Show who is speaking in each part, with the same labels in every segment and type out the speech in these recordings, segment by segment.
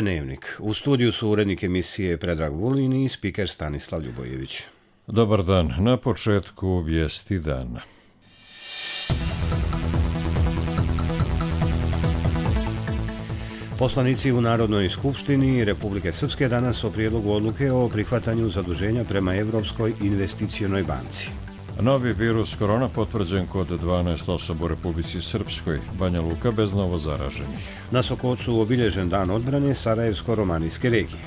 Speaker 1: Dnevnik. U studiju su urednik emisije Predrag Vulin i spiker Stanislav Ljubojević.
Speaker 2: Dobar dan. Na početku vijesti dana.
Speaker 1: Poslanici u Narodnoj skupštini Republike Srpske danas o prijedlogu odluke o prihvatanju zaduženja prema Evropskoj investicionoj banci.
Speaker 2: Novi virus korona potvrđen kod 12 osoba u Republici Srpskoj. Banja Luka bez novozaraženih.
Speaker 1: Na Sokocu obilježen dan odbrane Sarajevsko-romanijske regije.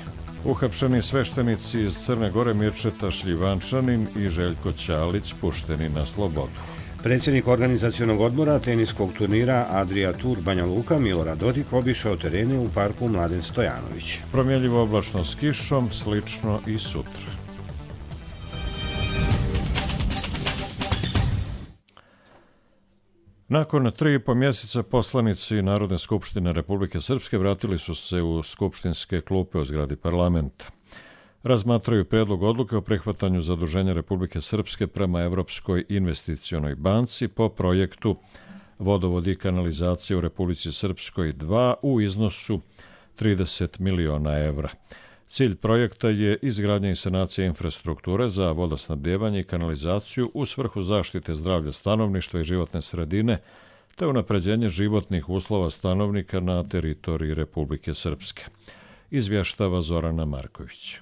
Speaker 2: Uhapšeni sveštenici iz Crne Gore Mirčeta Šljivančanin i Željko Ćalić pušteni na slobodu.
Speaker 1: Predsjednik organizacionog odbora teniskog turnira Adria Tour Banja Luka Milorad Dodik obišao terene u parku Mladen Stojanović.
Speaker 2: Promjenljivo oblačno s kišom, slično i sutra. Nakon 3,5 mjeseca poslanici Narodne skupštine Republike Srpske vratili su se u skupštinske klupe u zgradi parlamenta. Razmatraju prijedlog odluke o prihvatanju zaduženja Republike Srpske prema Evropskoj investicionoj banci po projektu Vodovod i kanalizacije u Republici Srpskoj 2 u iznosu 30 miliona evra. Cilj projekta je izgradnja i sanacija infrastrukture za vodosnabdijevanje i kanalizaciju u svrhu zaštite zdravlja stanovništva i životne sredine, te unapređenje životnih uslova stanovnika na teritoriji Republike Srpske. Izvještava Zorana Marković.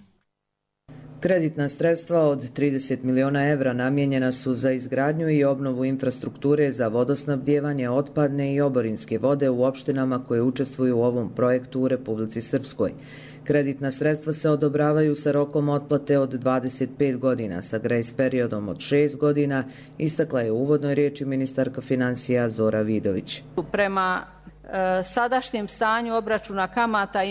Speaker 3: Kreditna sredstva od 30 miliona evra namijenjena su za izgradnju i obnovu infrastrukture za vodosnabdijevanje otpadne i oborinske vode u opštinama koje učestvuju u ovom projektu u Republici Srpskoj. Kreditna sredstva se odobravaju sa rokom otplate od 25 godina sa grejs periodom od 6 godina, istakla je u uvodnoj riječi ministarka financija Zora Vidović.
Speaker 4: Prema sadašnjem stanju obračuna kamata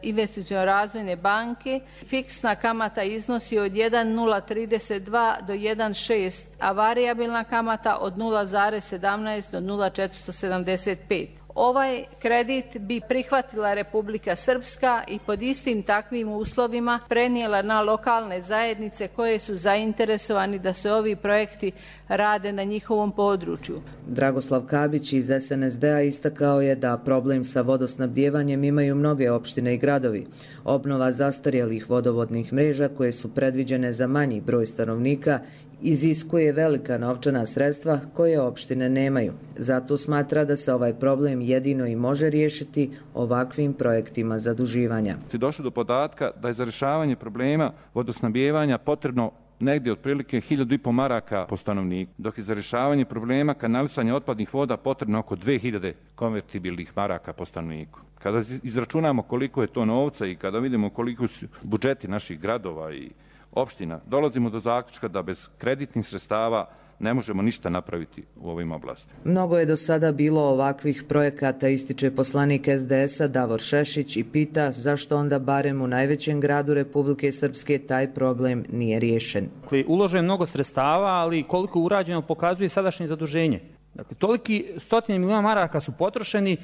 Speaker 4: Investiciono razvojne banke, fiksna kamata iznosi od 1,032 do 1,6, a varijabilna kamata od 0,17 do 0,475. Ovaj kredit bi prihvatila Republika Srpska i pod istim takvim uslovima prenijela na lokalne zajednice koje su zainteresovani da se ovi projekti rade na njihovom području.
Speaker 3: Dragoslav Kabić iz SNSD-a istakao je da problem sa vodosnabdijevanjem imaju mnoge opštine i gradovi. Obnova zastarjelih vodovodnih mreža koje su predviđene za manji broj stanovnika iziskuje velika novčana sredstva koje opštine nemaju. Zato smatra da se ovaj problem jedino i može riješiti ovakvim projektima zaduživanja.
Speaker 5: Došlo do podatka da je za rješavanje problema vodosnabdijevanja potrebno negdje otprilike 1.500 maraka po stanovniku, dok je za rješavanje problema kanalisanja otpadnih voda potrebno oko 2.000 konvertibilnih maraka po stanovniku. Kada izračunamo koliko je to novca i kada vidimo koliko su budžeti naših gradova i opština, dolazimo do zaključka da bez kreditnih sredstava ne možemo ništa napraviti u ovim oblastima.
Speaker 3: Mnogo je do sada bilo ovakvih projekata, ističe poslanik SDS-a Davor Šešić i pita zašto onda barem u najvećem gradu Republike Srpske taj problem nije riješen.
Speaker 6: Uloženo je mnogo sredstava, ali koliko je urađeno pokazuje sadašnje zaduženje. Dakle, toliki stotine miliona maraka su potrošeni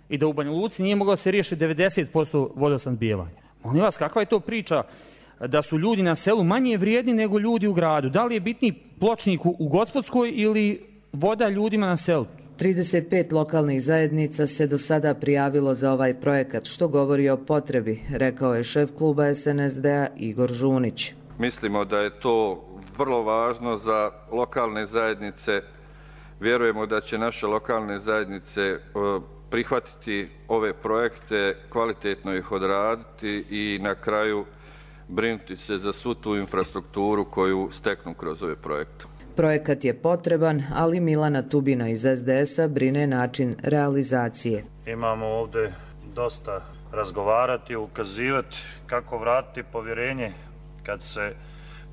Speaker 6: i da u Banja Luci nije moglo se riješiti 90% vodosnabdijevanja. Molim vas, kakva je to priča da su ljudi na selu manje vrijedni nego ljudi u gradu? Da li je bitniji pločnik u Gospodskoj ili voda ljudima na selu?
Speaker 3: 35 lokalnih zajednica se do sada prijavilo za ovaj projekat, što govori o potrebi, rekao je šef kluba SNSD-a Igor Žunić.
Speaker 7: Mislimo da je to vrlo važno za lokalne zajednice. Vjerujemo da će naše lokalne zajednice prihvatiti ove projekte, kvalitetno ih odraditi i na kraju brinuti se za svu tu infrastrukturu koju steknu kroz ove projekte.
Speaker 3: Projekat je potreban, ali Milana Tubina iz SDS-a brine način realizacije.
Speaker 8: Imamo ovdje dosta razgovarati, ukazivati kako vratiti povjerenje kad se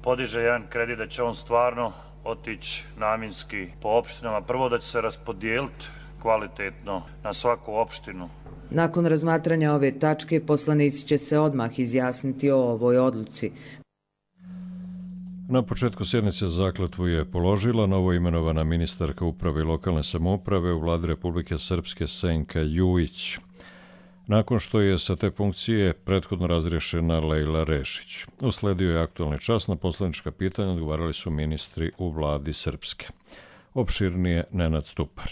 Speaker 8: podiže jedan kredit, da će on stvarno otići namjenski po opštinama. Prvo da će se raspodijeliti kvalitetno na svaku opštinu.
Speaker 3: Nakon razmatranja ove tačke, poslanici će se odmah izjasniti o ovoj odluci.
Speaker 2: Na početku sjednice zakletvu je položila novoimenovana ministarka uprave i lokalne samouprave u Vladi Republike Srpske Senka Jujić, nakon što je sa te funkcije prethodno razriješena Lejla Rešić. Usledio je aktualni čas, na poslanička pitanja odgovarali su ministri u Vladi Srpske. Opširnije Nenad Stupar.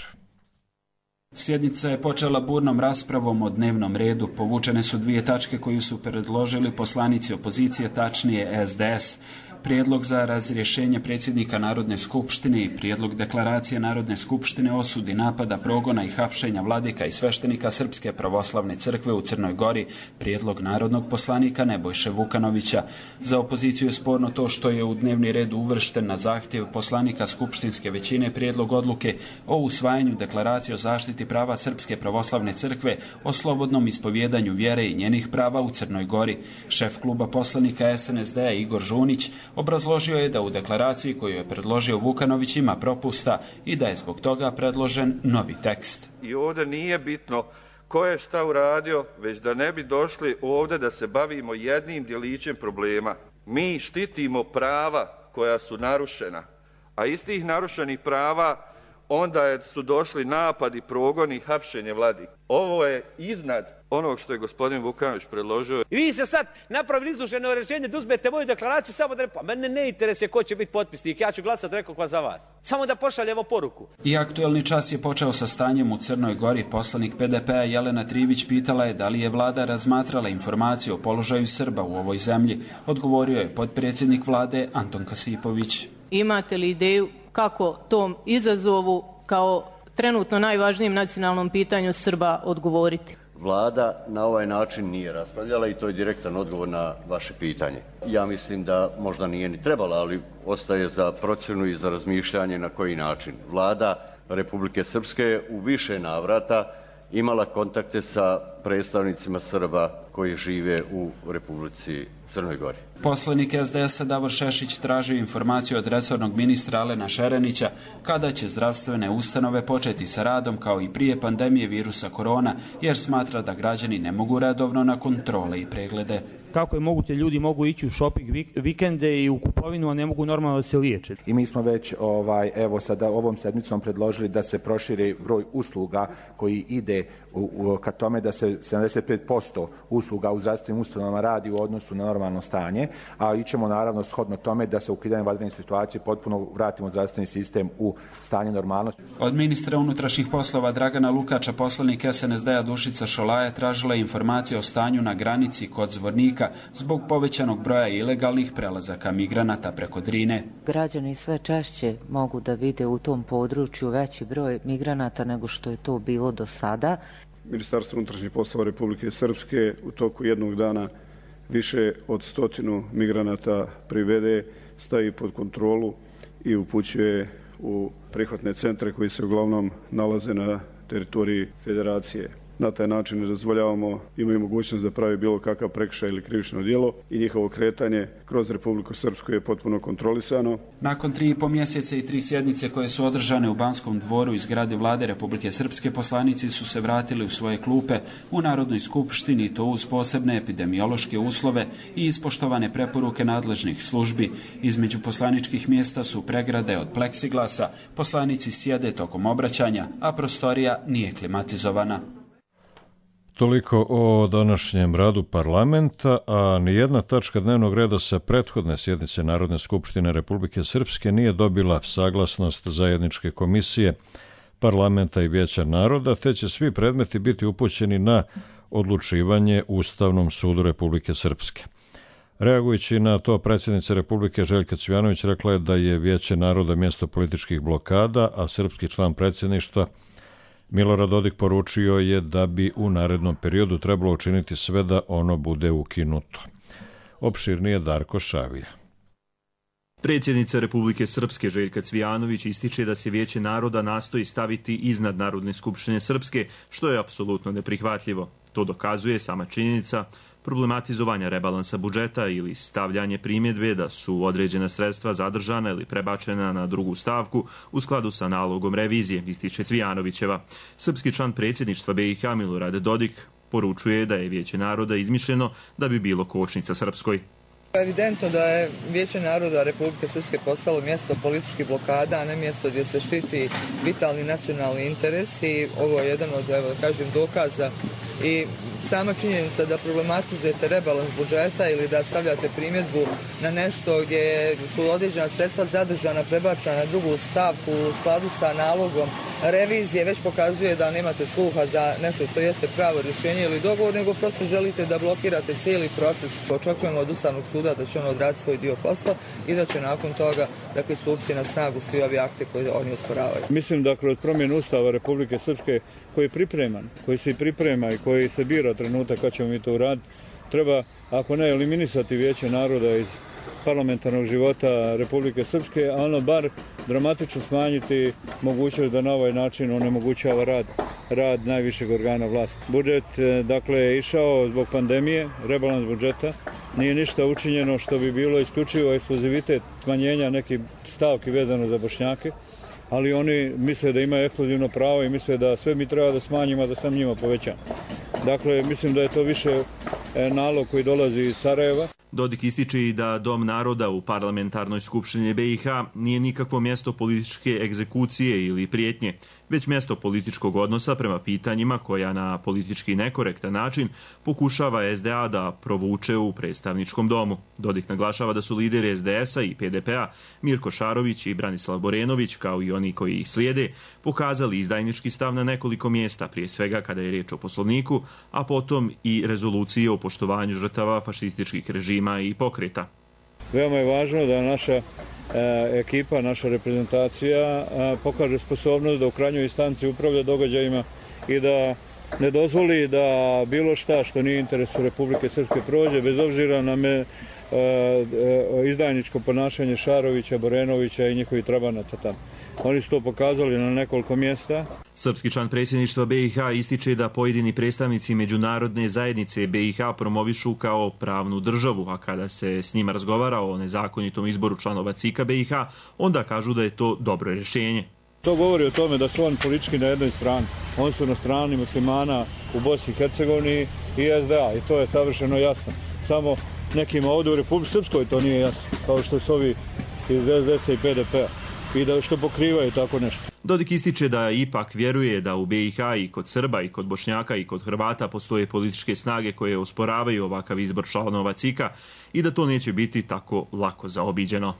Speaker 9: Sjednica je počela burnom raspravom o dnevnom redu. Povučene su 2 tačke koju su predložili poslanici opozicije, tačnije SDS. Prijedlog za razrješenje predsjednika Narodne skupštine i prijedlog deklaracije Narodne skupštine o osudi napada, progona i hapšenja vladika i sveštenika Srpske pravoslavne crkve u Crnoj Gori, prijedlog narodnog poslanika Nebojše Vukanovića. Za opoziciju je sporno to što je u dnevni red uvršten na zahtjev poslanika skupštinske većine prijedlog odluke o usvajanju deklaracije o zaštiti prava Srpske pravoslavne crkve o slobodnom ispovjedanju vjere i njenih prava u Crnoj Gori. Šef kluba poslanika SNSD-a Igor Žunić obrazložio je da u deklaraciji koju je predložio Vukanović ima propusta i da je zbog toga predložen novi tekst.
Speaker 7: I ovdje nije bitno ko je šta uradio, već da ne bi došli ovdje da se bavimo jednim djelićem problema. Mi štitimo prava koja su narušena, a iz tih narušenih prava onda su došli napadi, progoni i hapšenje vladika. Ovo je iznad onog što je gospodin Vukanović predložio.
Speaker 10: I vi se sad napravili izduženo rečenje da uzmete moju deklaraciju samo da mene ne interesuje ko će biti potpisnik, ja ću glasati rekao za vas. Samo da pošaljemo poruku.
Speaker 9: I aktuelni čas je počeo sa stanjem u Crnoj Gori. Poslanik PDP-a Jelena Trivić pitala je da li je vlada razmatrala informaciju o položaju Srba u ovoj zemlji. Odgovorio je potpredsjednik vlade Anton Kasipović.
Speaker 11: Imate li ideju kako tom izazovu kao trenutno najvažnijem nacionalnom pitanju Srba odgovoriti?
Speaker 12: Vlada na ovaj način nije raspravljala i to je direktan odgovor na vaše pitanje. Ja mislim da možda nije ni trebala, ali ostaje za procjenu i za razmišljanje na koji način. Vlada Republike Srpske u više navrata imala kontakte sa predstavnicima Srba koji žive u Republici Crnoj Gori.
Speaker 9: Poslanik SDS-a Davor Šešić tražio informaciju od resornog ministra Alena Šerenića kada će zdravstvene ustanove početi sa radom kao i prije pandemije virusa korona, jer smatra da građani ne mogu redovno na kontrole i preglede.
Speaker 6: Kako je moguće ljudi mogu ići u shopping vikende i u kupovinu, a ne mogu normalno da se liječe.
Speaker 13: I mi smo već evo sada ovom sedmicom predložili da se proširi broj usluga koji ide ka tome da se 75% usluga u zdravstvenim ustanovama radi u odnosu na normalno stanje, a ićemo naravno shodno tome da se ukidanjem vanredne situacije potpuno vratimo zdravstveni sistem u stanje normalnosti.
Speaker 9: Od ministra unutrašnjih poslova Dragana Lukača poslanik SNSD-a Dušica Šolaja tražila informacije o stanju na granici kod Zvornika zbog povećanog broja ilegalnih prelazaka migranata preko Drine.
Speaker 14: Građani sve češće mogu da vide u tom području veći broj migranata nego što je to bilo do sada.
Speaker 15: Ministarstvo unutrašnjih poslova Republike Srpske u toku jednog dana više od 100 migranata privede, stavi pod kontrolu i upućuje u prihvatne centre koji se uglavnom nalaze na teritoriji federacije. Na taj način ne dozvoljavamo, imaju mogućnost da pravi bilo kakav prekršaj ili krivično djelo i njihovo kretanje kroz Republiku Srpsku je potpuno kontrolisano.
Speaker 9: Nakon 3,5 mjeseca i 3 sjednice koje su održane u Banskom dvoru i zgradi vlade Republike Srpske, poslanici su se vratili u svoje klupe u Narodnoj skupštini i to uz posebne epidemiološke uslove i ispoštovane preporuke nadležnih službi. Između poslaničkih mjesta su pregrade od pleksiglasa, poslanici sjede tokom obraćanja, a prostorija nije klimatizovana.
Speaker 2: Toliko o današnjem radu parlamenta, a nijedna tačka dnevnog reda sa prethodne sjednice Narodne skupštine Republike Srpske nije dobila saglasnost zajedničke komisije parlamenta i Vijeća naroda, te će svi predmeti biti upućeni na odlučivanje Ustavnom sudu Republike Srpske. Reagujući na to, predsjednica Republike Željka Cvijanović rekla je da je Vijeće naroda mjesto političkih blokada, a srpski član predsjedništva Milorad Dodik poručio je da bi u narednom periodu trebalo učiniti sve da ono bude ukinuto. Opširnije Darko Šavija.
Speaker 16: Predsjednica Republike Srpske Željka Cvijanović ističe da se Vijeće naroda nastoji staviti iznad Narodne skupštine Srpske, što je apsolutno neprihvatljivo. To dokazuje sama činjenica problematizovanja rebalansa budžeta ili stavljanje primjedbe da su određena sredstva zadržana ili prebačena na drugu stavku u skladu sa nalogom revizije, ističe Cvijanovićeva. Srpski član predsjedništva BiH Milorad Dodik poručuje da je Vijeće naroda izmišljeno da bi bilo kočnica Srpskoj.
Speaker 17: Evidentno da je Vijeće naroda Republike Srpske postalo mjesto političkih blokada, a ne mjesto gdje se štiti vitalni nacionalni interes i ovo je jedan od, dokaza i sama činjenica da problematizujete rebalans budžeta ili da stavljate primjedbu na nešto gdje su određena sredstva zadržana, prebačena na drugu stavku u skladu sa nalogom revizije, već pokazuje da nemate sluha za nešto što jeste pravo rješenje ili dogovor, nego prosto želite da blokirate cijeli proces. Očekujemo od Ustavnog suda da će on odraditi svoj dio posla i da će nakon toga stupiti na snagu svi ovi akte koje oni osporavaju.
Speaker 15: Mislim da kroz promjenu Ustava Republike Srpske koji je pripreman, koji se priprema i koji se bira trenutak kad ćemo mi to uraditi, treba, ako ne eliminisati Vijeće naroda iz parlamentarnog života Republike Srpske, a ono bar dramatično smanjiti mogućnost da na ovaj način onemogućava rad najvišeg organa vlasti. Budžet, dakle, je išao zbog pandemije, rebalans budžeta, nije ništa učinjeno što bi bilo isključivo ekskluzivitet smanjenja nekih stavki vezano za Bošnjake, ali oni misle da imaju ekskluzivno pravo i misle da sve mi treba da smanjimo, da sam njima povećam. Dakle, mislim da je to više nalog koji dolazi iz Sarajeva.
Speaker 16: Dodik ističe i da Dom naroda u parlamentarnoj skupštini BiH nije nikakvo mjesto političke egzekucije ili prijetnje, već mjesto političkog odnosa prema pitanjima koja na politički nekorektan način pokušava SDA da provuče u predstavničkom domu. Dodik naglašava da su lideri SDS-a i PDP-a Mirko Šarović i Branislav Borenović, kao i oni koji ih slijede, pokazali izdajnički stav na nekoliko mjesta, prije svega kada je riječ o Poslovniku, a potom i rezolucije o poštovanju žrtava fašističkih režima i pokreta.
Speaker 15: Veoma je važno da naša ekipa, naša reprezentacija pokaže sposobnost da u krajnjoj instanci upravlja događajima i da ne dozvoli da bilo šta što nije interesu Republike Srpske prođe, bez obzira na izdajničko ponašanje Šarovića, Borenovića i njihovih trabanata tamo. Oni su to pokazali na nekoliko mjesta.
Speaker 16: Srpski član predsjedništva BiH ističe da pojedini predstavnici međunarodne zajednice BiH promovišu kao pravnu državu, a kada se s njima razgovara o nezakonitom izboru članova CIK-a BiH, onda kažu da je to dobro rješenje.
Speaker 15: To govori o tome da su oni politički na jednoj strani. Oni su na strani muslimana u Bosni i Hercegovini i SDA i to je savršeno jasno. Samo nekima ovdje u Republici Srpskoj to nije jasno, kao što su ovi iz SDS-a i PDP-a. I da što pokrivaju tako nešto.
Speaker 16: Dodik ističe da ipak vjeruje da u BiH i kod Srba i kod Bošnjaka i kod Hrvata postoje političke snage koje osporavaju ovakav izbor članova CIK-a i da to neće biti tako lako zaobiđeno.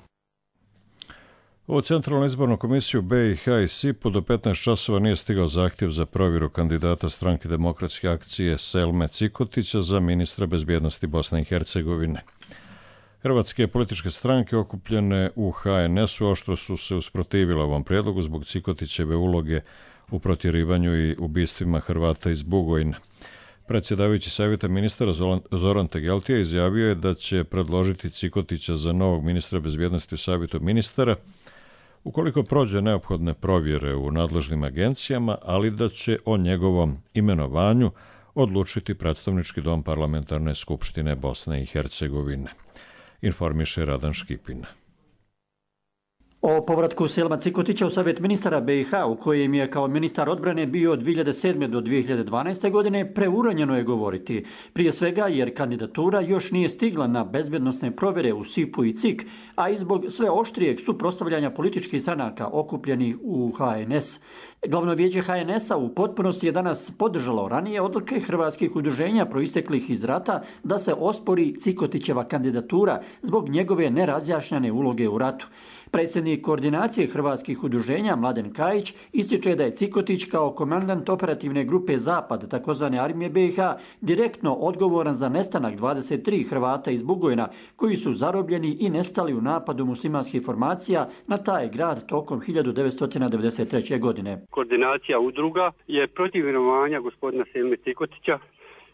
Speaker 2: U Centralnu izbornu komisiju BiH i SIP-u do 15 časova nije stigao zahtjev za provjeru kandidata Stranke demokratske akcije Selme Cikotića za ministra bezbjednosti Bosne i Hercegovine. Hrvatske političke stranke okupljene u HNS-u oštro su se usprotivile ovom prijedlogu zbog Cikotićeve uloge u protjerivanju i ubistvima Hrvata iz Bugojna. Predsjedavajući savjeta ministara Zoran Tegeltija izjavio je da će predložiti Cikotića za novog ministra bezbjednosti u savjetu ministara ukoliko prođe neophodne provjere u nadležnim agencijama, ali da će o njegovom imenovanju odlučiti predstavnički dom parlamentarne skupštine Bosne i Hercegovine. Informiše Radan Škipina.
Speaker 18: O povratku Selma Cikotića u savjet ministara BiH, u kojem je kao ministar odbrane bio od 2007. do 2012. godine, preuranjeno je govoriti. Prije svega jer kandidatura još nije stigla na bezbednosne provjere u SIP-u i CIK, a i zbog sve oštrijeg suprotstavljanja političkih stranaka okupljenih u HNS. Glavno vijeće HNS-a u potpunosti je danas podržalo ranije odluke hrvatskih udruženja proisteklih iz rata da se ospori Cikotićeva kandidatura zbog njegove nerazjašnjene uloge u ratu. Predsjednik koordinacije hrvatskih udruženja Mladen Kajić ističe da je Cikotić kao komandant operativne grupe Zapad, takozvane armije BiH, direktno odgovoran za nestanak 23 Hrvata iz Bugojna koji su zarobljeni i nestali u napadu muslimanskih formacija na taj grad tokom 1993. godine.
Speaker 19: Koordinacija udruga je protiv imenovanja gospodina Selme Cikotića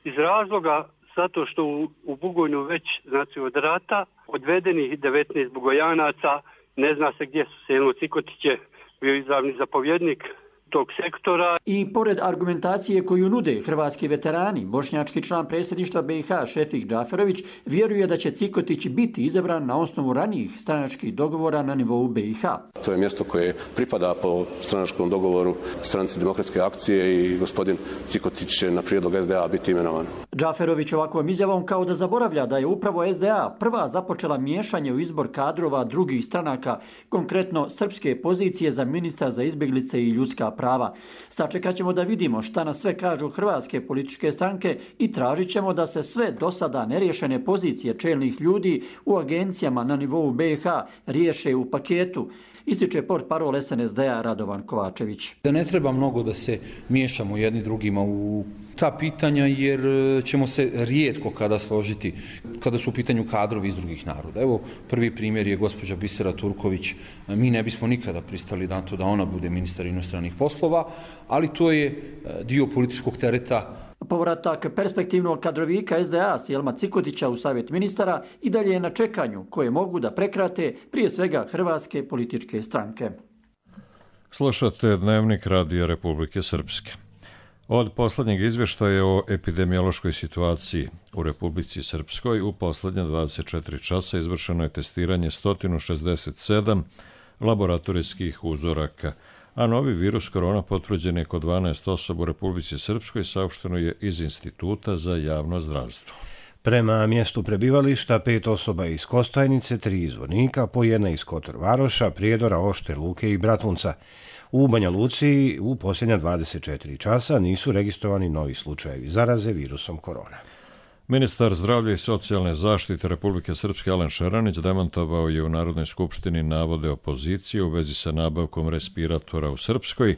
Speaker 19: iz razloga zato što u Bugojnu već, znači od rata, odvedenih 19 Bugojanaca, ne zna se gdje su. Selmo Cikotić je bio izravni zapovjednik tog sektora.
Speaker 18: I pored argumentacije koju nude hrvatski veterani, bošnjački član predsjedništva BiH Šefik Džaferović vjeruje da će Cikotić biti izabran na osnovu ranijih stranačkih dogovora na nivou BiH.
Speaker 20: To je mjesto koje pripada po stranačkom dogovoru Stranci demokratske akcije i gospodin Cikotić će na prijedlog SDA biti imenovan.
Speaker 18: Džaferović ovakvom izjavom kao da zaboravlja da je upravo SDA prva započela miješanje u izbor kadrova drugih stranaka, konkretno srpske pozicije za ministra za izbjeglice i ljudska prava. Sačekat ćemo da vidimo šta nas sve kažu hrvatske političke stranke i tražit ćemo da se sve do sada neriješene pozicije čelnih ljudi u agencijama na nivou BiH riješe u paketu, ističe portparol SNSD-a Radovan Kovačević.
Speaker 21: Da ne treba mnogo da se miješamo jedni drugima u ta pitanja jer ćemo se rijetko kada složiti kada su u pitanju kadrovi iz drugih naroda. Evo, prvi primjer je gospođa Bisera Turković. Mi ne bismo nikada pristali na to da ona bude ministar inostranih poslova, ali to je dio političkog tereta.
Speaker 18: Povratak perspektivnog kadrovika SDA Sjelma Cikotića u Savjet ministara i dalje je na čekanju koje mogu da prekrate prije svega hrvatske političke stranke.
Speaker 2: Slušate Dnevnik Radija Republike Srpske. Od posljednjeg izvještaja o epidemiološkoj situaciji u Republici Srpskoj u posljednje 24 časa izvršeno je testiranje 167 laboratorijskih uzoraka, a novi virus korona potvrđen je kod 12 osoba u Republici Srpskoj, saopšteno je iz Instituta za javno zdravstvo.
Speaker 1: Prema mjestu prebivališta 5 osoba iz Kostajnice, 3 iz Zvornika, po 1 iz Kotor Varoša, Prijedora, Ošte, Luke i Bratunca. U Banja Luci u posljednja 24 časa nisu registrovani novi slučajevi zaraze virusom korona.
Speaker 2: Ministar zdravlja i socijalne zaštite Republike Srpske Alen Šeranić demantovao je u Narodnoj skupštini navode opozicije u vezi sa nabavkom respiratora u Srpskoj,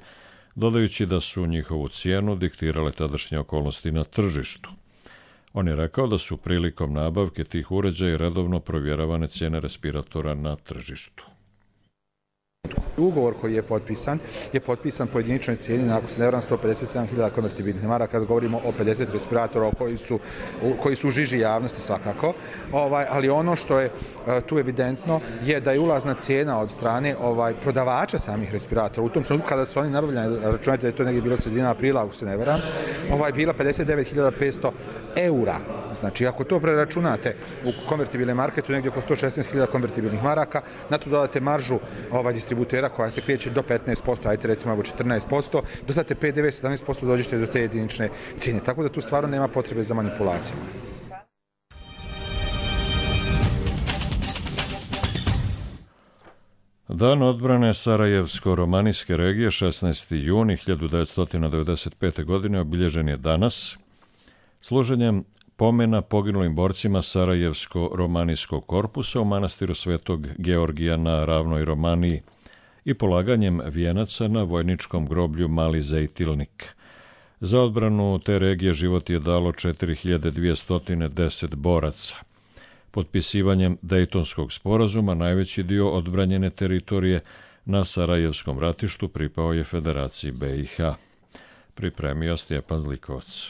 Speaker 2: dodajući da su njihovu cijenu diktirale tadašnje okolnosti na tržištu. On je rekao da su prilikom nabavke tih uređaja redovno provjeravane cijene respiratora na tržištu.
Speaker 13: Ugovor koji je potpisan po jediničnoj cijeni, ako se ne varam, 157.000 konvertibilnih maraka, kada govorimo o 50 respiratora koji su u žiži javnosti svakako. Ali ono što je tu evidentno je da je ulazna cijena od strane prodavača samih respiratora. U tom trenutku kada su oni nabavljeni, računajte da je to negdje bilo sredina aprila, ako se ne varam, bila 59.500 eura. Znači, ako to preračunate u konvertibilne marke, to je negdje oko 116.000 konvertibilnih maraka, na to dodate maržu distributera koja se kreće do 15%, ajte recimo 14%, dodate PDV 17%, dođete do te jedinične cijene. Tako da tu stvarno nema potrebe za manipulacijama.
Speaker 2: Dan odbrane Sarajevsko-romanijske regije 16. juni 1995. godine obilježen je danas služenjem pomena poginulim borcima Sarajevsko-romanijskog korpusa u manastiru Svetog Georgija na ravnoj Romaniji i polaganjem vijenaca na vojničkom groblju Mali Zejtilnik. Za odbranu te regije život je dalo 4210 boraca. Potpisivanjem Dejtonskog sporazuma najveći dio odbranjene teritorije na Sarajevskom ratištu pripao je Federaciji BiH. Pripremio Stjepan Zlikovac.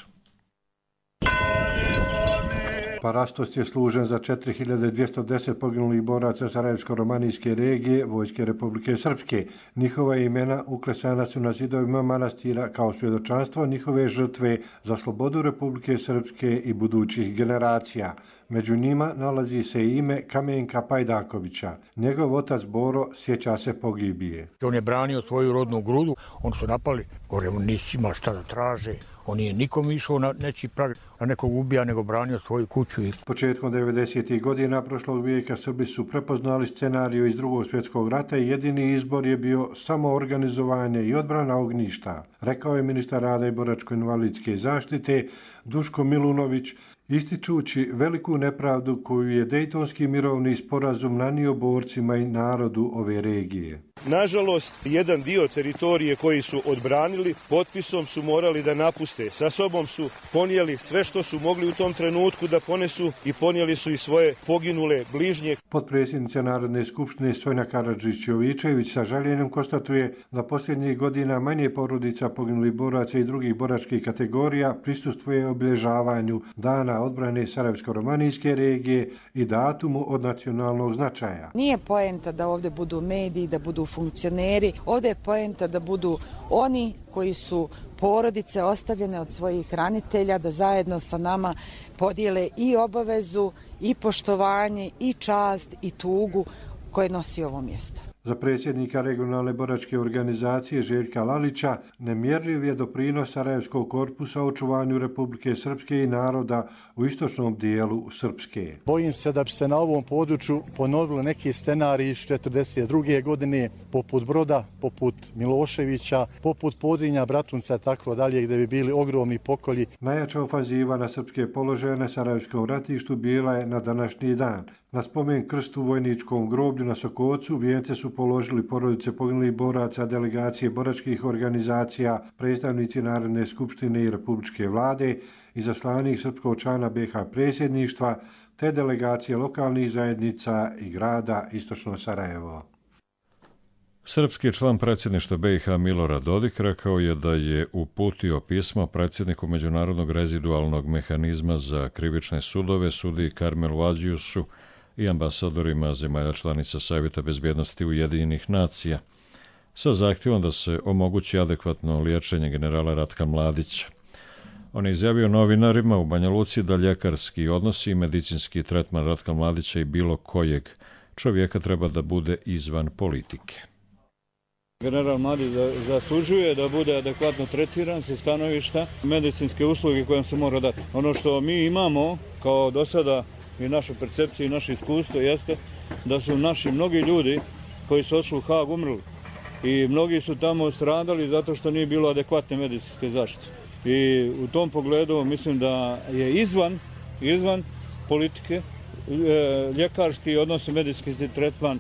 Speaker 22: Parastos je služen za 4210 poginulih boraca Sarajevsko-romanijske regije Vojske Republike Srpske. Njihova imena uklesana su na zidovima manastira kao svjedočanstvo njihove žrtve za slobodu Republike Srpske i budućih generacija. Među njima nalazi se ime Kamenka Pajdakovića. Njegov otac Boro sjeća se pogibije.
Speaker 23: On je branio svoju rodnu grudu, oni su napali, gore nisi ima šta da traže. On nije nikom išao na neći pravi, na nekog ubija, nego branio svoju kuću.
Speaker 22: Početkom 90. godina prošlog vijeka Srbi su prepoznali scenariju iz Drugog svjetskog rata i jedini izbor je bio samo organizovanje i odbrana ognjišta, rekao je ministar rada i boračko-invalidske zaštite Duško Milunović, ističući veliku nepravdu koju je Dejtonski mirovni sporazum nanio borcima i narodu ove regije.
Speaker 24: Nažalost, jedan dio teritorije koji su odbranili, potpisom su morali da napuste. Sa sobom su ponijeli sve što su mogli u tom trenutku da ponesu i ponijeli su i svoje poginule bližnje.
Speaker 22: Potpredsjednica Narodne skupštine Sonja Karadžić-Jovičević sa žaljenjem konstatuje da posljednjih godina manje porodica poginulih boraca i drugih boračkih kategorija prisustvuje obilježavanju Dana odbrane Sarajevsko-romanijske regije i datumu od nacionalnog značaja.
Speaker 25: Nije poenta da ovdje budu mediji, da budu funkcioneri. Ovdje je poenta da budu oni koji su porodice ostavljene od svojih hranitelja, da zajedno sa nama podijele i obavezu, i poštovanje, i čast, i tugu koje nosi ovo mjesto.
Speaker 22: Za predsjednika regionalne boračke organizacije Željka Lalića nemjerljiv je doprinos Sarajevskog korpusa u očuvanju Republike Srpske i naroda u istočnom dijelu Srpske.
Speaker 3: Bojim se da bi se na ovom području ponovili neki scenariji iz 1942. godine, poput Broda, poput Miloševića, poput Podrinja, Bratunca i tako dalje, gdje bi bili ogromni pokolji.
Speaker 22: Najjača ofanziva na srpske položaje na Sarajevskom ratištu bila je na današnji dan. Na spomen krstu u vojničkom groblju na Sokocu vijence su položili porodice poginulih boraca, delegacije boračkih organizacija, predstavnici Narodne skupštine i Republičke vlade, izaslanik srpskog člana BiH predsjedništva, te delegacije lokalnih zajednica i grada Istočno Sarajevo.
Speaker 2: Srpski član predsjedništva BiH Milorad Dodik rekao je da je uputio pismo predsjedniku Međunarodnog rezidualnog mehanizma za krivične sudove, sudiji Karmelu Adžiusu i ambasadorima zemalja članica Savjeta bezbjednosti Ujedinjenih nacija sa zahtjevom da se omogući adekvatno liječenje generala Ratka Mladića. On je izjavio novinarima u Banja Luci da ljekarski odnosi i medicinski tretman Ratka Mladića i bilo kojeg čovjeka treba da bude izvan politike.
Speaker 4: General Mladić zaslužuje da bude adekvatno tretiran sa stanovišta medicinske usluge koje se mora dati. Ono što mi imamo kao do sada i naša percepcija i naše iskustvo jeste da su naši mnogi ljudi koji su otišli u Haag umrli i mnogi su tamo stradali zato što nije bilo adekvatne medicinske zaštite. I u tom pogledu mislim da je izvan politike ljekarski odnosno medicinski tretman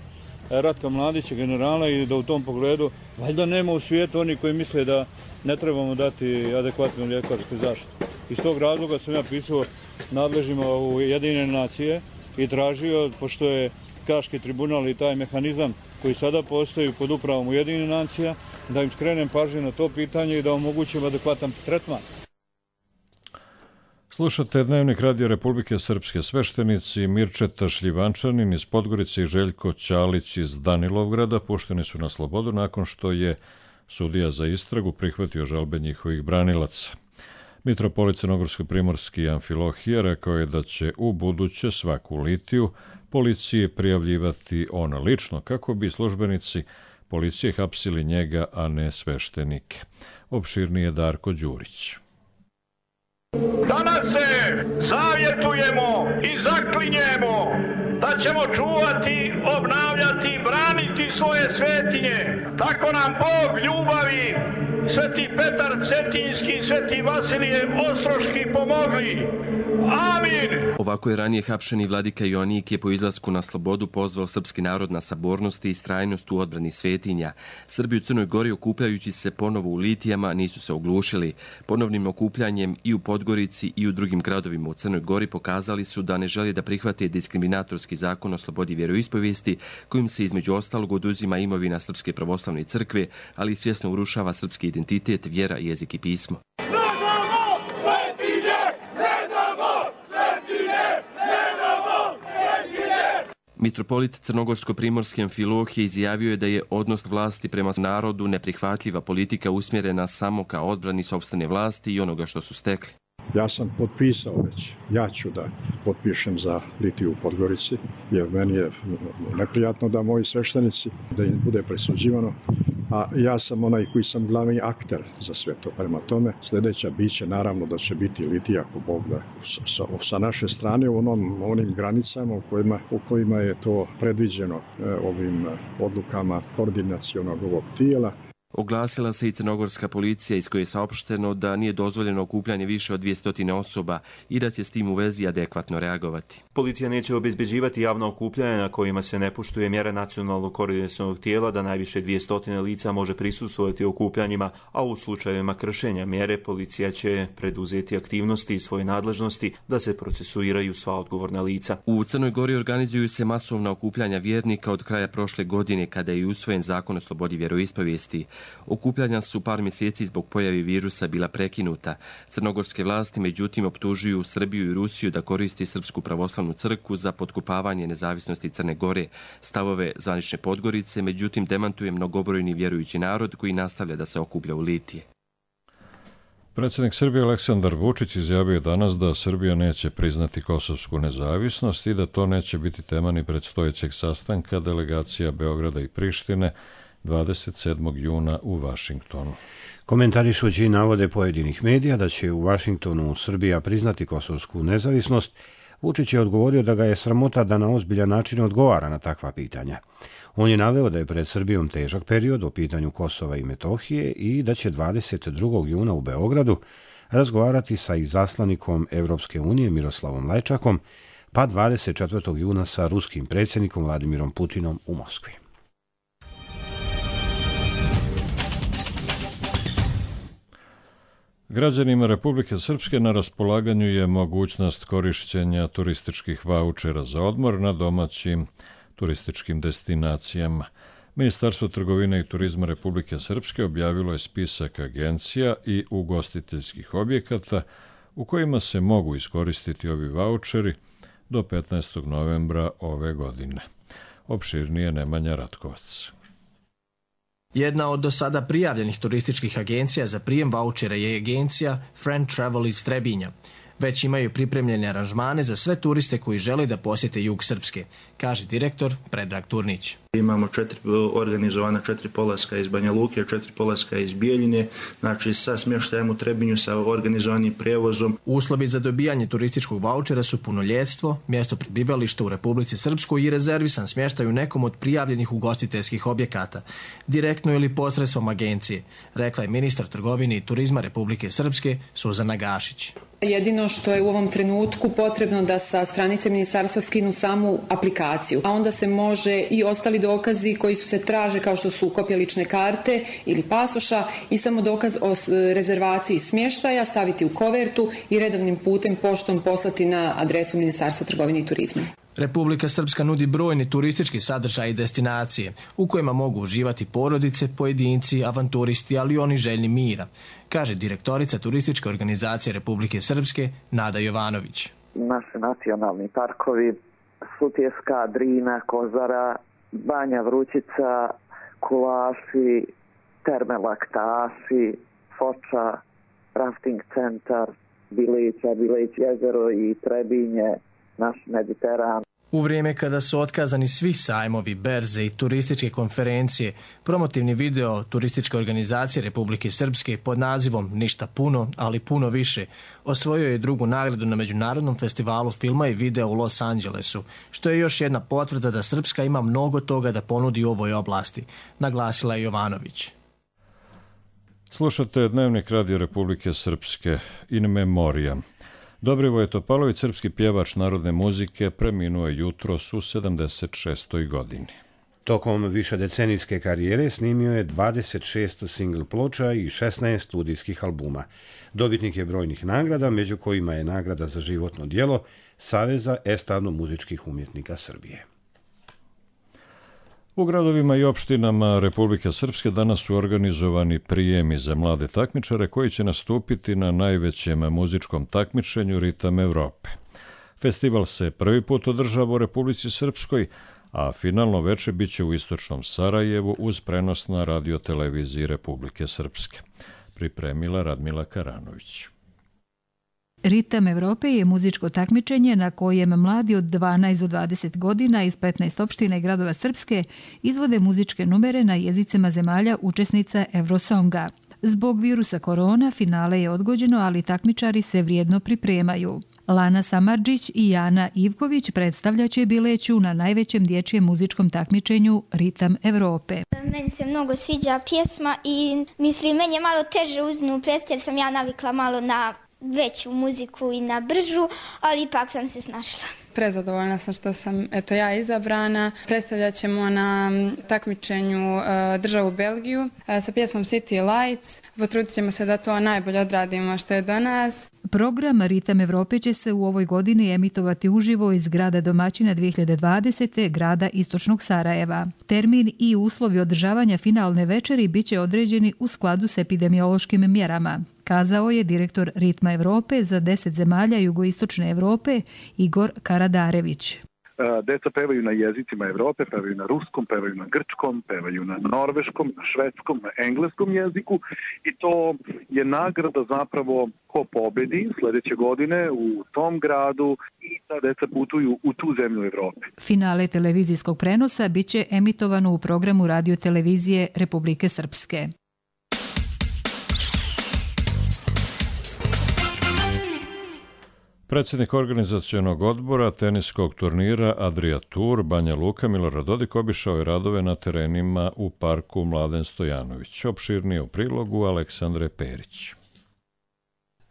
Speaker 4: Ratka Mladića, generala, i da u tom pogledu valjda nema u svijetu oni koji misle da ne trebamo dati adekvatnu ljekarsku zaštitu. Iz tog razloga sam ja pisao nadležnjima u Ujedinjene nacije i tražio, pošto je Haški tribunal i taj mehanizam koji sada postoji pod upravom Ujedinjenih nacija, da im skrenem pažnju na to pitanje i da omogućim adekvatan tretman.
Speaker 2: Slušate Dnevnik Radio Republike Srpske. Sveštenici Mirčeta Šljivančanin iz Podgorice i Željko Ćalić iz Danilovgrada pušteni su na slobodu nakon što je sudija za istragu prihvatio žalbe njihovih branilaca. Mitropolit Crnogorsko-primorski Amfilohije rekao je da će u buduće svaku litiju policiji prijavljivati on lično kako bi službenici policije hapsili njega, a ne sveštenike. Opširnije Darko Đurić.
Speaker 5: Danas se zavjetujemo i zaklinjemo da ćemo čuvati, obnavljati, braniti svoje svetinje. Tako nam Bog ljubavi, Sveti Petar Cetinjski i Sveti Vasilije Ostroški pomogli. Amin!
Speaker 7: Ovako je ranije hapšeni vladika Joanik je po izlasku na slobodu pozvao srpski narod na sabornost i istrajnost u odbrani svetinja. Srbi u Crnoj Gori okupljajući se ponovo u litijama nisu se oglušili. Ponovnim okupljanjem i u Podgorici i u drugim gradovima u Crnoj Gori pokazali su da ne žele da prihvate diskriminatorski zakon o slobodi vjeroispovijesti kojim se između ostalog oduzima imovina Srpske pravoslavne crkve, ali i svjesno urušava srpski identitet, vjera, jezik i pismo. Mitropolit Crnogorsko-primorski Amfilohije izjavio je da je odnos vlasti prema narodu neprihvatljiva politika usmjerena samo ka odbrani sopstvene vlasti i onoga što su stekli.
Speaker 8: Ja sam potpisao već, ja ću da potpišem za litiju u Podgorici, jer meni je neprijatno da moji sveštenici, da im bude presuđivano, a ja sam onaj koji sam glavni akter za sve to. Prema tome, sljedeća biće naravno da će biti litija, ako Bog da, sa naše strane u onim granicama u kojima je to predviđeno ovim odlukama koordinacionog ovog tijela.
Speaker 7: Oglasila se i crnogorska policija iz koje je saopšteno da nije dozvoljeno okupljanje više od 200 osoba i da će s tim u vezi adekvatno reagovati.
Speaker 16: Policija neće obezbeđivati javna okupljanja na kojima se ne poštuje mjera nacionalnog koordinacionog tijela da najviše 200 lica može prisustvovati okupljanjima, a u slučajevima kršenja mjere policija će preduzeti aktivnosti i svoje nadležnosti da se procesuiraju sva odgovorna lica.
Speaker 7: U Crnoj Gori organizuju se masovna okupljanja vjernika od kraja prošle godine kada je usvojen zakon o slobodi vjeroispovijesti. Okupljanja su par mjeseci zbog pojave virusa bila prekinuta. Crnogorske vlasti međutim optužuju Srbiju i Rusiju da koristi Srpsku pravoslavnu crkvu za potkopavanje nezavisnosti Crne Gore. Stavove zvanične Podgorice međutim demantuje mnogobrojni vjerujući narod koji nastavlja da se okuplja u litije.
Speaker 2: Predsjednik Srbije Aleksandar Vučić izjavio je danas da Srbija neće priznati kosovsku nezavisnost i da to neće biti tema ni predstojećeg sastanka delegacija Beograda i Prištine 27. juna u Vašingtonu.
Speaker 1: Komentarišući navode pojedinih medija da će u Vašingtonu Srbija priznati kosovsku nezavisnost, Vučić je odgovorio da ga je sramota da na ozbiljan način odgovara na takva pitanja. On je naveo da je pred Srbijom težak period o pitanju Kosova i Metohije i da će 22. juna u Beogradu razgovarati sa izaslanikom Evropske unije Miroslavom Lajčakom, pa 24. juna sa ruskim predsjednikom Vladimirom Putinom u Moskvi.
Speaker 2: Građanima Republike Srpske na raspolaganju je mogućnost korišćenja turističkih vaučera za odmor na domaćim turističkim destinacijama. Ministarstvo trgovine i turizma Republike Srpske objavilo je spisak agencija i ugostiteljskih objekata u kojima se mogu iskoristiti ovi vaučeri do 15. novembra ove godine. Opširnije Nemanja Ratkovac.
Speaker 6: Jedna od do sada prijavljenih turističkih agencija za prijem vaučera je agencija Friend Travel iz Trebinja. Već imaju pripremljene aranžmane za sve turiste koji žele da posjete jug Srpske, kaže direktor Predrag Turnić.
Speaker 10: Imamo organizovana 4 polaska iz Banja Luke, 4 polaska iz Bijeljine, znači sa smještajem u Trebinju, sa organizovanim prijevozom.
Speaker 6: Uslovi za dobijanje turističkog vaučera su punoljetstvo, mjesto prebivališta u Republici Srpskoj i rezervisan smještaj u nekom od prijavljenih ugostiteljskih objekata, direktno ili posredstvom agencije, rekla je ministar trgovine i turizma Republike Srpske Suzana Gašić.
Speaker 11: Jedino što je u ovom trenutku potrebno da sa stranice ministarstva skinu samu aplikaciju, a onda se može i ostali dokazi koji se traže kao što su kopije lične karte ili pasoša i samo dokaz o rezervaciji smještaja staviti u kovertu i redovnim putem poštom poslati na adresu Ministarstva trgovine i turizma.
Speaker 6: Republika Srpska nudi brojne turistički sadržaje i destinacije u kojima mogu uživati porodice, pojedinci, avanturisti, ali i oni željni mira, kaže direktorica turističke organizacije Republike Srpske Nada Jovanović.
Speaker 12: Naši nacionalni parkovi, Sutjeska, Drina, Kozara, Banja Vrućica, Kulaši, Terme Laktaši, Foča, rafting centar, Bilić jezero i Trebinje, naš Mediteran.
Speaker 6: U vrijeme kada su otkazani svi sajmovi, berze i turističke konferencije, promotivni video turističke organizacije Republike Srpske pod nazivom Ništa puno, ali puno više, osvojio je drugu nagradu na Međunarodnom festivalu filma i videa u Los Angelesu, što je još jedna potvrda da Srpska ima mnogo toga da ponudi u ovoj oblasti, naglasila je Jovanović.
Speaker 2: Slušate Dnevnik Radio Republike Srpske in memoriam. Dobrivoje Topalović, srpski pjevač narodne muzike, preminuo je jutros u 76. godini.
Speaker 1: Tokom višedecenijske karijere snimio je 26 singl ploča i 16 studijskih albuma. Dobitnik je brojnih nagrada, među kojima je nagrada za životno djelo Saveza estradno-muzičkih umjetnika Srbije.
Speaker 2: U gradovima i opštinama Republike Srpske danas su organizovani prijemi za mlade takmičare koji će nastupiti na najvećem muzičkom takmičenju Ritam Evrope. Festival se prvi put održava u Republici Srpskoj, a finalno veče biće u istočnom Sarajevu uz prenos na radioteleviziji Republike Srpske. Pripremila Radmila Karanović.
Speaker 14: Ritam Evrope je muzičko takmičenje na kojem mladi od 12 do 20 godina iz 15 opština i gradova Srpske izvode muzičke numere na jezicima zemalja učesnica Eurosonga. Zbog virusa korona finale je odgođeno, ali takmičari se vrijedno pripremaju. Lana Samardžić i Jana Ivković predstavljaće Bileću na najvećem dječjem muzičkom takmičenju Ritam Evrope.
Speaker 26: Meni se mnogo sviđa pjesma i mislim, meni je malo teže uznu plesti jer sam ja navikla malo na veću muziku i na bržu, ali ipak sam se snašla.
Speaker 27: Prezadovoljna sam što sam ja izabrana. Predstavljat ćemo na takmičenju državu Belgiju sa pjesmom City Lights. Potrudit ćemo se da to najbolje odradimo što je do nas.
Speaker 14: Program Ritam Evrope će se u ovoj godini emitovati uživo iz grada domaćina 2020. grada Istočnog Sarajeva. Termin i uslovi održavanja finalne večeri biće određeni u skladu s epidemiološkim mjerama, kazao je direktor Ritma Evrope za 10 zemalja jugoistočne Evrope Igor Karadarević.
Speaker 9: Deca pevaju na jezicima Evrope, pevaju na ruskom, pevaju na grčkom, pevaju na norveškom, na švedskom, na engleskom jeziku i to je nagrada zapravo ko pobedi sledeće godine u tom gradu i ta deca putuju u tu zemlju Evrope.
Speaker 14: Finale televizijskog prenosa biće emitovano u programu radio-televizije Republike Srpske.
Speaker 2: Predsjednik organizacionog odbora teniskog turnira Adria Tour Banja Luka Milorad Dodik obišao je radove na terenima u parku Mladen Stojanović. Opširnije u prilogu Aleksandre Perić.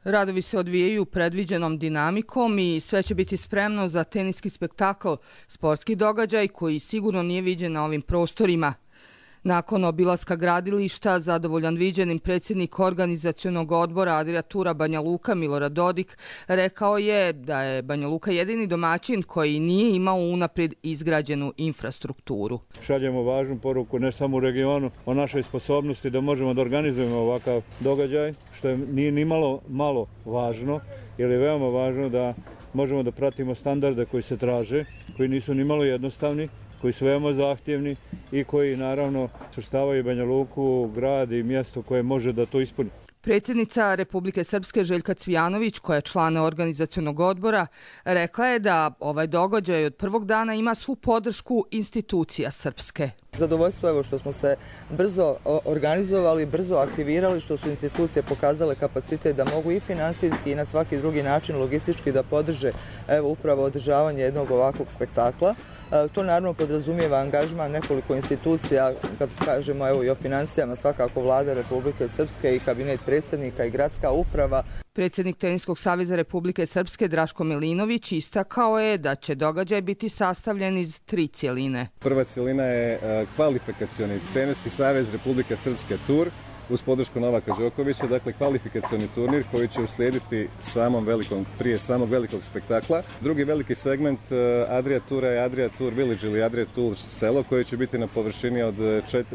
Speaker 15: Radovi se odvijaju predviđenom dinamikom i sve će biti spremno za teniski spektakl, sportski događaj koji sigurno nije viđen na ovim prostorima. Nakon obilaska gradilišta, zadovoljan viđenim predsjednik organizacionog odbora Adria Tura Banja Luka Milorad Dodik rekao je da je Banja Luka jedini domaćin koji nije imao unaprijed izgrađenu infrastrukturu.
Speaker 4: Šaljemo važnu poruku ne samo u regionu o našoj sposobnosti da možemo da organizujemo ovakav događaj, što nije ni malo važno, jer je veoma važno da možemo da pratimo standarde koji se traže, koji nisu ni malo jednostavni, koji su veoma zahtjevni i koji naravno svrstavaju Banja Luku u grad i mjesto koje može da to ispuni.
Speaker 15: Predsjednica Republike Srpske Željka Cvijanović, koja je član organizacionog odbora, rekla je da ovaj događaj od prvog dana ima svu podršku institucija Srpske.
Speaker 17: Zadovoljstvo je što smo se brzo organizovali, brzo aktivirali, što su institucije pokazale kapacitet da mogu i finansijski i na svaki drugi način logistički da podrže upravo održavanje jednog ovakvog spektakla. To naravno podrazumijeva angažman nekoliko institucija, kad kažemo i o finansijama, svakako Vlada Republike Srpske i kabinet predsjednika i gradska uprava.
Speaker 15: Predsjednik Teniskog saveza Republike Srpske Draško Milinović istakao je da će događaj biti sastavljen iz 3 cjeline.
Speaker 18: Prva cjelina je kvalifikacioni Teniski savez Republike Srpske Tur uz podršku Novaka Đokovića, dakle kvalifikacioni turnir koji će uslijediti prije samog velikog spektakla. Drugi veliki segment Adria Tura je Adria Tour Village ili Adria Tour selo koje će biti na površini od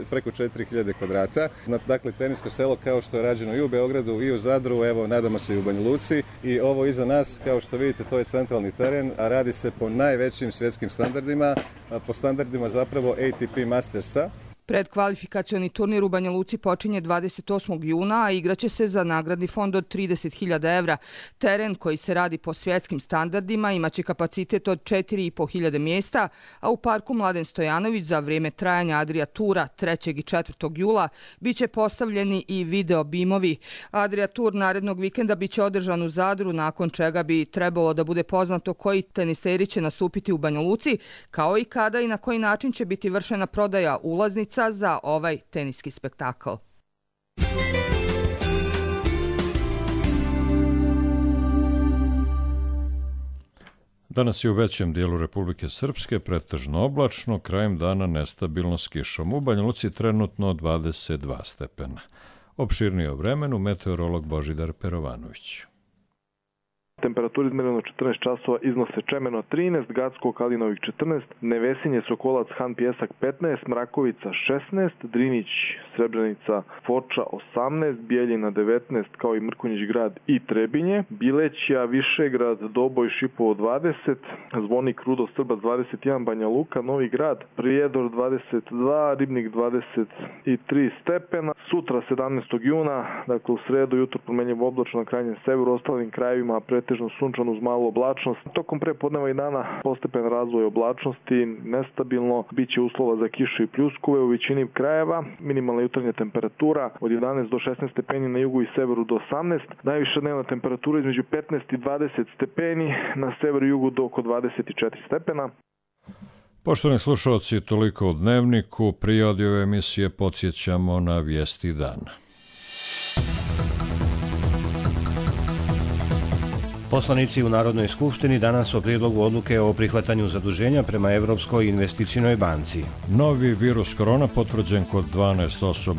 Speaker 18: preko 4000 kvadrata. Dakle, tenisko selo kao što je rađeno i u Beogradu i u Zadru, evo nadamo se i u Banja Luci. I ovo iza nas, kao što vidite, to je centralni teren, a radi se po najvećim svjetskim standardima, po standardima zapravo ATP Mastersa.
Speaker 15: Predkvalifikacioni turnir u Banja Luci počinje 28. juna, a igraće se za nagradni fond od 30.000 evra. Teren koji se radi po svjetskim standardima imaće kapacitet od 4.500 mjesta, a u parku Mladen Stojanović za vrijeme trajanja Adria Tura 3. i 4. jula biće postavljeni i video bimovi. Adria Tur narednog vikenda biće održan u Zadru, nakon čega bi trebalo da bude poznato koji teniseri će nastupiti u Banja Luci, kao i kada i na koji način će biti vršena prodaja ulaznica za ovaj teniski spektakl.
Speaker 2: Danas je u većem dijelu Republike Srpske pretežno oblačno, krajem dana nestabilno s kišom. U Banja Luci trenutno 22 stepena. Opširnije o vremenu meteorolog Božidar Perovanović.
Speaker 19: Temperatura izmjerena 14 časova iznose Čemeno 13, Gacko, Kalinovik 14, Nevesinje, Sokolac, Han Pjesak 15, Mrakovica 16, Drinić, Srebrenica, Foča 18, Bijeljina 19, kao i Mrkonjić grad i Trebinje, Bilećija, Višegrad, Doboj, Šipovo 20, Zvonik, Rudo, Srbac 21, Banja Luka, Novi grad, Prijedor 22, Ribnik 23 stepena. Sutra 17. juna, dakle u sredu jutro promenljivo oblačno na krajnjem severu, ostalim krajevima pretežno sunčano uz malu oblačnost. Tokom prepodneva i dana postepen razvoj oblačnosti, nestabilno, biće uslova za kišu i pljuskove u većini krajeva. Minimalna jutarnja temperatura od 11 do 16 stepeni na jugu i severu do 18. Najviša dnevna temperatura između 15 i 20 stepeni, na severu i jugu do oko 24 stepena.
Speaker 2: Poštovani slušalci, toliko u Dnevniku. Prije ove emisije podsjećamo na vijesti dana.
Speaker 1: Poslanici u Narodnoj skupštini danas o prijedlogu odluke o prihvatanju zaduženja prema Evropskoj investicionoj banci.
Speaker 2: Novi virus korona potvrđen kod 12 osoba